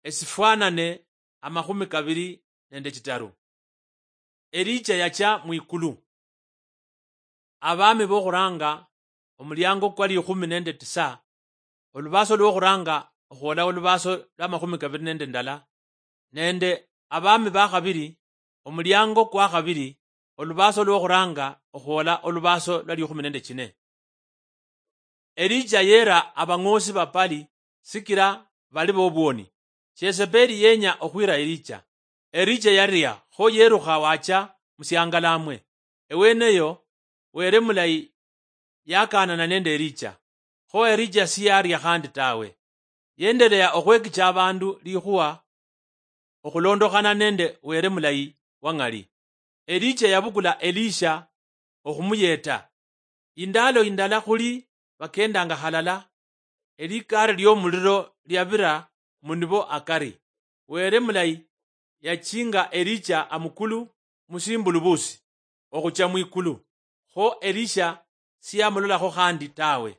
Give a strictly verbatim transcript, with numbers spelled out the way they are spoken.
esifwanane amakhumi kabiri nende chitaru. Elija yacha mwikulu. Abami bokhuranga omuliango kwa likhumi nende tisa, olubaso lwokhuranga okhwola olubaso lwa makhumi kabiri nende ndala, nende abami bakhabiri omuliango kwa khabiri olubaso lwokhuranga okhwola olubaso lwa likhumi nende chine. Elija yera abang'osi ba Pali sikila bali bobwoni. Shesebeli yenya okhwira Elija. Elija yaria, kho yerukha wacha musiangalamwe. Eweneyo Were mulayi yakaanana nende Elija, kho Elija siyaria khandi tawe. Yendelea okhwekicha abandu likhuwa okhulondokhana nende Were mulayi wang'ali. Elija yabukula Elisha okhumuyeta. Indalo indala khuli bakendanga halala, elikari liomuliro liabira munibo akari. Were mulayi yachinga Elija amukulu musimbulubusi okhucha mwikulu, kho Elisha siyamulolakho khandi tawe.